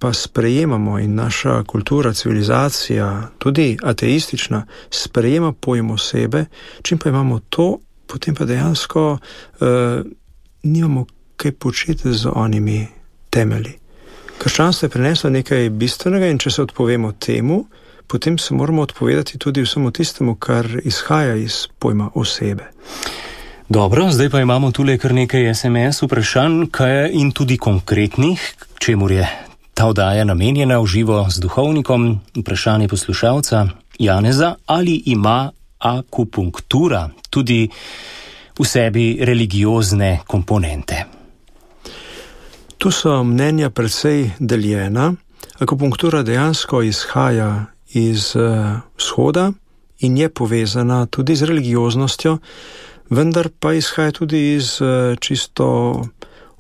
pa sprejemamo in naša kultura, civilizacija, tudi ateistična, sprejema pojem osebe, čim pa imamo to, potem pa dejansko uh, nimamo kaj početi z onimi temelji. Krščanstvo je prineslo nekaj bistvenega in če se odpovemo temu, potem se moramo odpovedati tudi vsemu tistemu, kar izhaja iz pojma osebe. Dobro, zdaj pa imamo tule kar nekaj es em es vprašanj, kaj in tudi konkretnih, čemur je ta oddaja namenjena v živo z duhovnikom. Vprašanje poslušalca Janeza: ali ima akupunktura tudi v sebi religiozne komponente? Tu so mnenja precej deljena. Akupunktura dejansko izhaja iz uh, vzhoda in je povezana tudi z religioznostjo, vendar pa izhaja tudi iz uh, čisto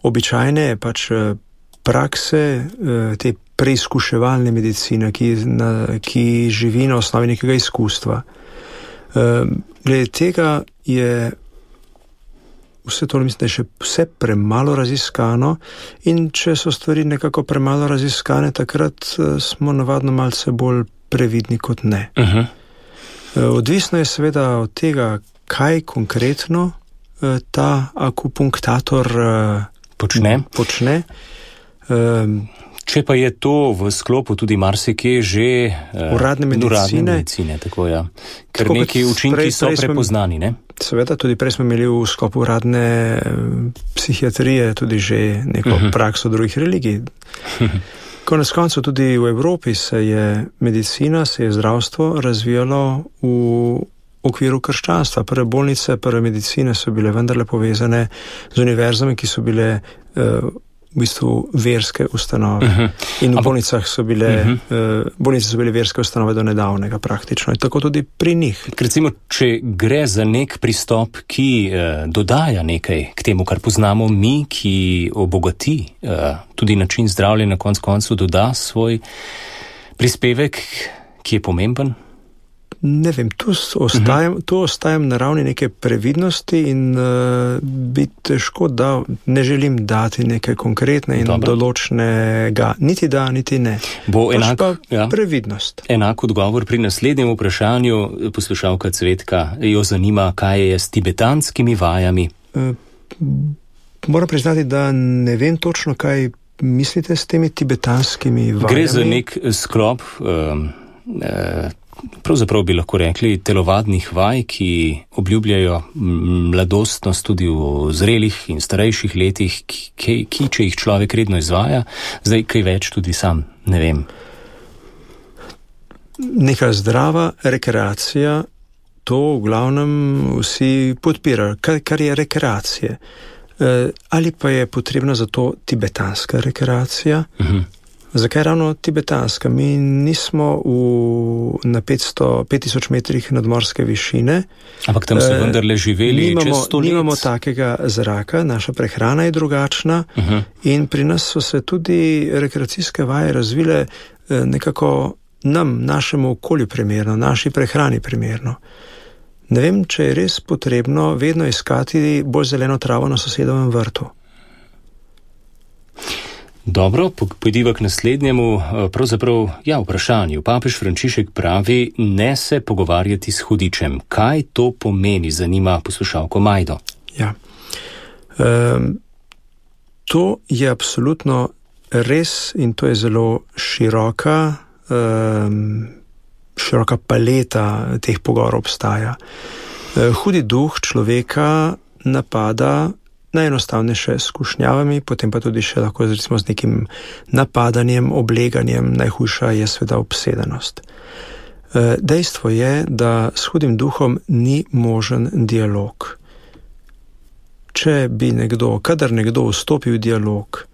običajne pač uh, prakse, uh, te preizkuševalne medicine, ki, na, ki živi na osnovi nekega izkustva. Uh, glede tega je vse to, mislim, da je še vse premalo raziskano, in če so stvari nekako premalo raziskane, takrat smo navadno malce bolj previdni kot ne. Uh-huh. Odvisno je seveda od tega, kaj konkretno ta akupunktator počne. počne. Če pa je to v sklopu tudi marsikje že uradne medicine, uradne medicine tako ja. Ker tako neki učinki prej, so prej prepoznani, ne? Seveda, tudi prej smo imeli v sklopu uradne psihiatrije tudi že neko uh-huh. prakso drugih religij. Konec koncev tudi v Evropi se je medicina, se je zdravstvo razvijalo v okviru krščanstva. Prve bolnice, prve medicine so bile vendarle povezane z univerzami, ki so bile uh, v bistvu verske ustanove. Uh-huh. In v bolnicah so bile, uh-huh. uh, bolnice so bile verske ustanove do nedavnega praktično. In tako tudi pri njih. Recimo, če gre za nek pristop, ki uh, dodaja nekaj k temu, kar poznamo mi, ki obogati uh, tudi način zdravljenja, na konc koncu doda svoj prispevek, ki je pomemben? Ne vem, tu ostajam, uh-huh. tu ostajam na ravni neke previdnosti in uh, bi težko dal, ne želim dati nekaj konkretne in Dobro. določnega, niti da, niti ne. Bo enak, pa ja, previdnost. Enak odgovor pri naslednjem vprašanju. Poslušalka Cvetka jo zanima, kaj je s tibetanskimi vajami. Uh, moram priznati, da ne vem točno, kaj mislite s temi tibetanskimi vajami. Gre za nek sklop um, uh, pravzaprav bi lahko rekli telovadnih vaj, ki obljubljajo mladostnost tudi v zrelih in starejših letih, ki, ki če jih človek redno izvaja, zdaj kaj več tudi sam ne vem. Neka zdrava rekreacija, to v glavnem vsi podpirajo, kar, kar je rekreacije. E, ali pa je potrebna za to tibetanska rekreacija? Uh-huh. Zakaj ravno tibetanska? Mi nismo v, na petsto, pet tisoč metrih nadmorske višine. Ampak tam so vendarle živeli nimamo, čez sto let. Nimamo takega zraka, naša prehrana je drugačna uh-huh. in pri nas so se tudi rekreacijske vaje razvile nekako nam, našemu okolju primerno, naši prehrani primerno. Ne vem, če je res potrebno vedno iskati bolj zeleno travo na sosedovem vrtu. Dobro, pojdiva k naslednjemu, pravzaprav, ja, vprašanju. Papež Frančišek pravi, ne se pogovarjati s hudičem. Kaj to pomeni, zanima poslušalko Majdo? Ja, um, to je absolutno res in to je zelo široka, um, široka paleta teh pogovorov obstaja. Uh, hudi duh človeka napada najenostavnejše s skušnjavami, potem pa tudi še lahko recimo z nekim napadanjem, obleganjem, najhujša je seveda obsedenost. Dejstvo je, da s hudim duhom ni možen dialog. Če bi nekdo, kadar nekdo vstopi v dialog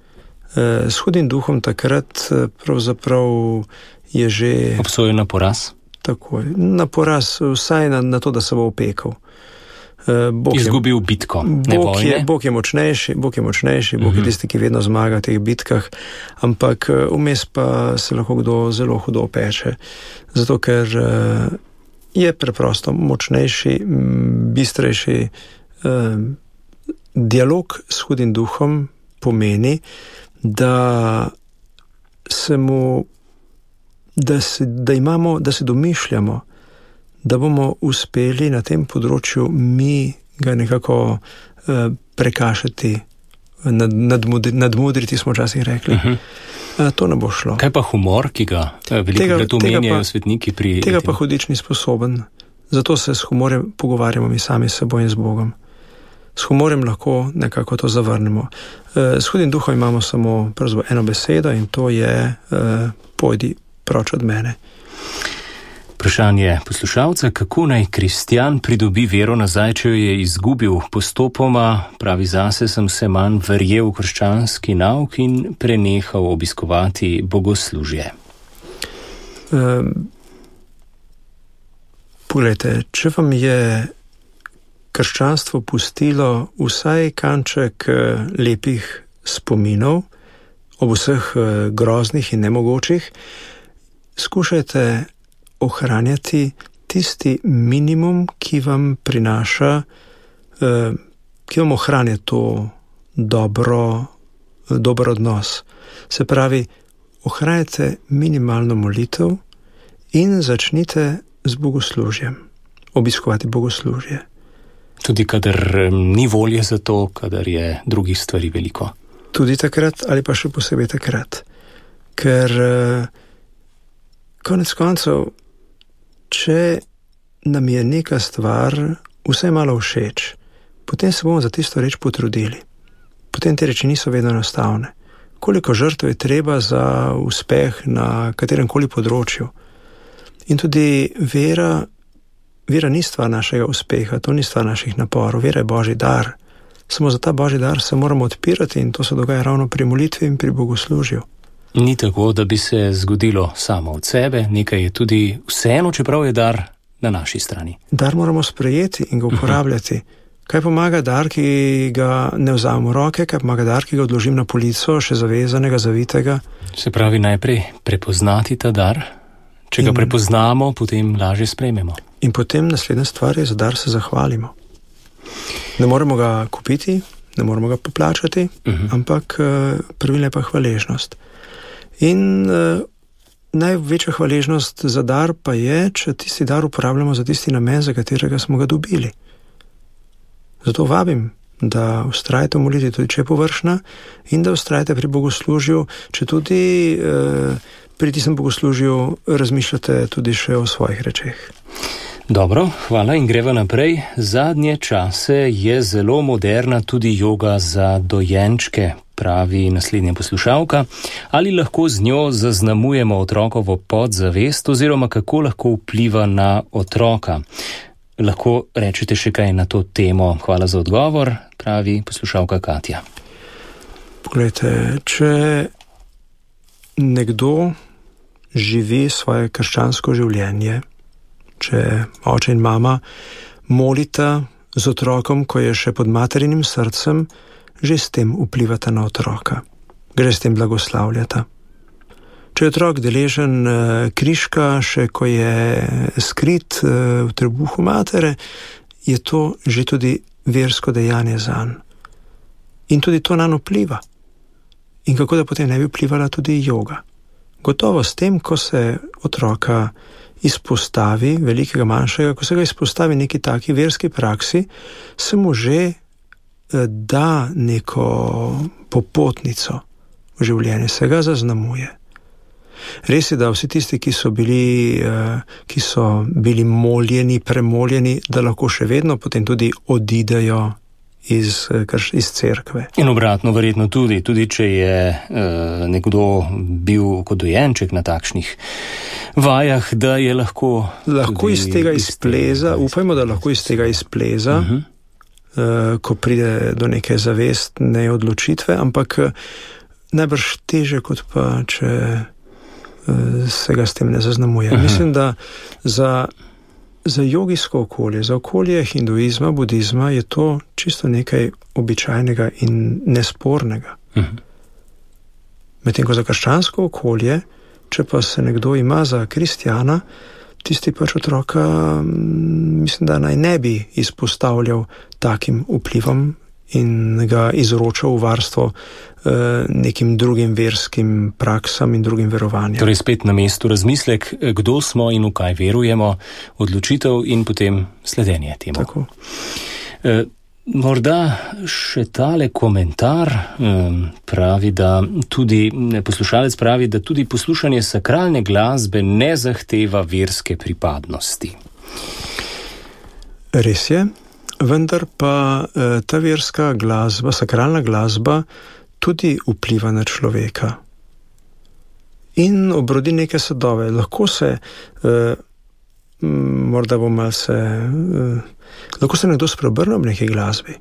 s hudim duhom, takrat pravzaprav je že obsojen na poraz. Tako, na poraz, vsaj na, na to, da se bo opekal. Bog izgubil bitko, ne Bog vojne. Je, Bog je močnejši, Bog je močnejši, Bog uh-huh. je tisti, ki vedno zmaga v teh bitkah, ampak vmes pa se lahko kdo zelo hudo opeče. Zato, ker je preprosto močnejši, bistrejši. Dialog s hudim duhom pomeni, da se mu, da se, da imamo, da se domišljamo, da bomo uspeli na tem področju mi ga nekako uh, prekašati, nad, nadmudri, nadmudriti, smo včasih rekli. Uh-huh. Uh, to ne bo šlo. Kaj pa humor, ki ga veliko krat omenjajo svetniki pri... Tega pa hudič ni sposoben. Zato se s humorjem pogovarjamo mi sami s seboj in z Bogom. S humorjem lahko nekako to zavrnemo. Uh, s hudim duhom imamo samo pravzaprav eno besedo in to je uh, pojdi proč od mene. Vprašanje poslušalca, kako naj kristjan pridobi vero nazaj, če jo je izgubil postopoma, pravi zase, sem se manj verjel v krščanski nauk in prenehal obiskovati bogoslužje. Um, Poglejte, če vam je krščanstvo pustilo vsaj kanček lepih spominov ob vseh groznih in nemogočih, skušajte ohranjati tisti minimum, ki vam prinaša, eh, ki vam ohranja to dobro, dober odnos. Se pravi, ohranjate minimalno molitev in začnite z bogoslužjem, obiskovati bogoslužje. Tudi kadar ni volje za to, kadar je drugih stvari veliko. Tudi takrat ali pa še posebej takrat. Ker eh, konec koncev, če nam je neka stvar vsaj malo všeč, potem se bomo za tisto reč potrudili. Potem te reči niso vedno enostavne. Koliko žrtev je treba za uspeh na kateremkoli področju. In tudi vera, vera ni stvar našega uspeha, to ni stvar naših naporov, vera je Božji dar. Samo za ta Božji dar se moramo odpirati in to se dogaja ravno pri molitvi in pri bogoslužju. Ni tako, da bi se zgodilo samo od sebe, nekaj je tudi vseeno, čeprav je dar na naši strani. Dar moramo sprejeti in ga uporabljati. Kaj pomaga dar, ki ga ne vzamem v roke, kaj pomaga dar, ki ga odložim na polico, še zavezanega, zavitega? Se pravi, najprej prepoznati ta dar, če ga in, prepoznamo, potem lažje sprejmemo. In potem naslednja stvar je, za dar se zahvalimo. Ne moremo ga kupiti, ne moremo ga poplačati, uh-huh. ampak pravilna je pa hvaležnost. In uh, največja hvaležnost za dar pa je, če tisti dar uporabljamo za tisti namen, za katerega smo ga dobili. Zato vabim, da vztrajate v molitvi, tudi če je površna, in da vztrajate pri bogoslužju, če tudi uh, pri tistem bogoslužju razmišljate tudi še o svojih rečeh. Dobro, hvala in greva naprej. Zadnje čase je zelo moderna tudi joga za dojenčke, pravi naslednja poslušalka. Ali lahko z njo zaznamujemo otrokovo podzavest oziroma kako lahko vpliva na otroka? Lahko rečete še kaj na to temo? Hvala za odgovor, pravi poslušalka Katja. Poglejte, če nekdo živi svoje krščansko življenje, če oče in mama molita z otrokom, ko je še pod materinim srcem, že s tem vplivata na otroka. Gre s tem blagoslavljata. Če je otrok deležen križka, še ko je skrit v trebuhu matere, je to že tudi versko dejanje zanj. In tudi to nanj vpliva. In kako da potem ne bi vplivala tudi joga. Gotovo s tem, ko se otroka izpostavi, velikega, manjšega, ko se ga izpostavi neki taki verski praksi, se mu že da neko popotnico v življenje, se ga zaznamuje. Res je, da vsi tisti, ki so bili, ki so bili moljeni, premoljeni, da lahko še vedno potem tudi odidejo iz, iz cerkve. In obratno verjetno tudi, tudi če je uh, nekdo bil kot dojenček na takšnih vajah, da je lahko... Lahko iz tega izpleza, upajmo, da lahko iz tega izpleza, uh-huh. uh, ko pride do neke zavestne odločitve, ampak najbrž teže kot pa, če se ga s tem ne zaznamuje. Aha. Mislim, da za, za jogijsko okolje, za okolje hinduizma, budizma je to čisto nekaj običajnega in nespornega. Aha. Medtem ko za krščansko okolje, če pa se nekdo ima za kristjana, tisti pač otroka, mislim, da naj ne bi izpostavljal takim vplivom in ga izročal v varstvo eh, nekim drugim verskim praksam in drugim verovanjem. Torej spet na mestu razmislek, kdo smo in v kaj verujemo, odločitev in potem sledenje temu. Tako. E, morda še tale komentar um, pravi, da tudi, poslušalec pravi, da tudi poslušanje sakralne glasbe ne zahteva verske pripadnosti. Res je. Vendar pa ta verska glasba, sakralna glasba tudi vpliva na človeka in obrodi neke sadove. Lahko se, eh, morda bo malce, eh, lahko se nekdo spreobrne ob neki glasbi.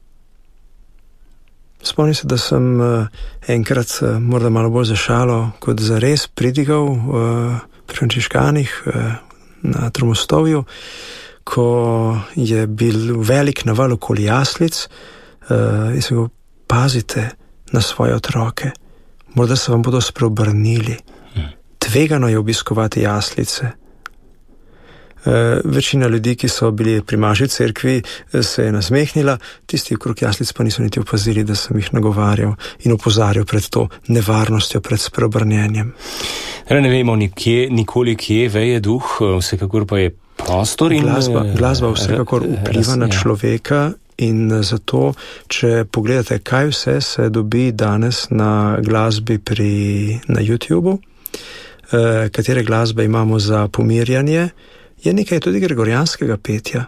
Spomnim se, da sem eh, enkrat, eh, morda malo bolj za šalo, kot za res pridigal eh, pri frančiškanih eh, na Tromostovju, ko je bil velik naval okoli jaslic, uh, in se go pazite na svoje otroke. Morda se vam bodo spreobrnili. Tvegano je obiskovati jaslice. Uh, večina ljudi, ki so bili pri maši cerkvi, se je nasmehnila, tisti okrog jaslic pa niso niti opazili, da sem jih nagovarjal in opozarjal pred to nevarnostjo, pred spreobrnjenjem. Ne vemo nikje, nikoli, kje veje duh, vsekakor pa je prostor in glasba, glasba vsekakor vpliva na človeka in zato, če pogledate, kaj vse se dobi danes na glasbi pri, na YouTubeu, eh, katere glasbe imamo za pomirjanje, je nekaj tudi gregorijanskega petja.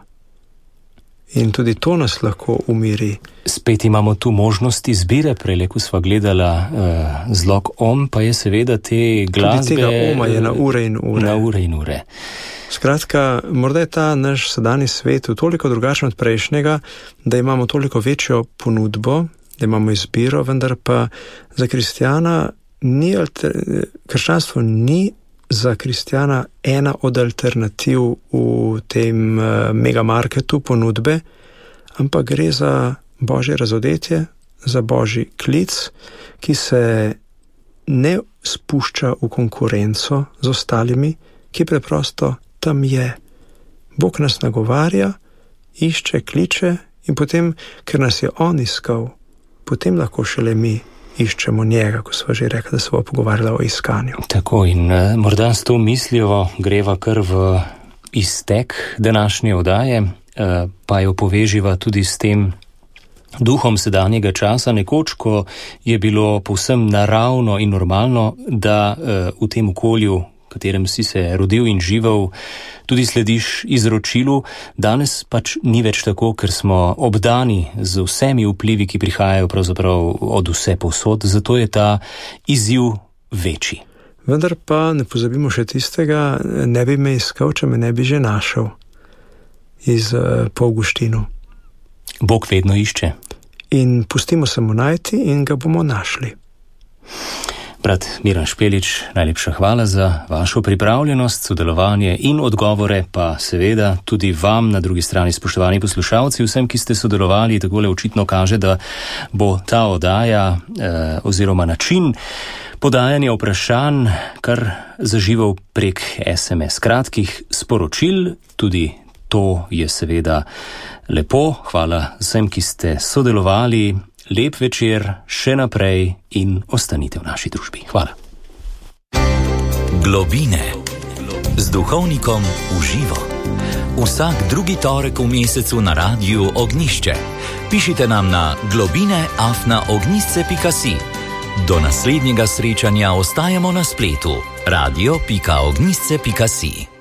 In tudi to nas lahko umiri. Spet imamo tu možnost izbire, prejle, ko sva gledala uh, zlog om, pa je seveda te glasbe... Tudi tega oma je na ure in ure. Na ure in ure. Skratka, morda je ta naš sedanji svet toliko drugačen od prejšnjega, da imamo toliko večjo ponudbo, da imamo izbiro, vendar pa za kristjana ni alter... krščanstvo ni za kristjana ena od alternativ v tem uh, megamarketu ponudbe, ampak gre za božje razodetje, za božji klic, ki se ne spušča v konkurenco z ostalimi, ki preprosto tam je. Bog nas nagovarja, išče, kliče in potem, ker nas je on iskal, potem lahko šele mi iščemo njega, ko sva že rekla, da se bo pogovarjala o iskanju. Tako in uh, morda s to mislijo greva kar v iztek današnje oddaje, uh, pa jo poveživa tudi s tem duhom sedanjega časa, nekoč, ko je bilo povsem naravno in normalno, da uh, v tem okolju, v katerem si se rodil in živel, tudi slediš izročilu. Danes pač ni več tako, ker smo obdani z vsemi vplivi, ki prihajajo pravzaprav od vse povsod, zato je ta izziv večji. Vendar pa ne pozabimo še tistega, ne bi me iskal, če me ne bi že našel iz uh, po Avguštinu. Bog vedno išče. In pustimo se mu najti in ga bomo našli. Brat Miran Špelič, najlepša hvala za vašo pripravljenost, sodelovanje in odgovore, pa seveda tudi vam na drugi strani, spoštovani poslušalci, vsem, ki ste sodelovali, takole očitno kaže, da bo ta oddaja eh, oziroma način podajanja vprašanj kar zaživel prek es em es kratkih sporočil. Tudi to je seveda lepo. Hvala vsem, ki ste sodelovali. Lep večer še naprej in ostanite v naši družbi. Hvala. Globine z duhovnikom v živo. Vsak drugi torek v mesecu na Radiu Ognjišče. Pišite nam na globine afna ognjišče pika si. Do naslednjega srečanja ostajamo na spletu radio pika ognjišče pika si.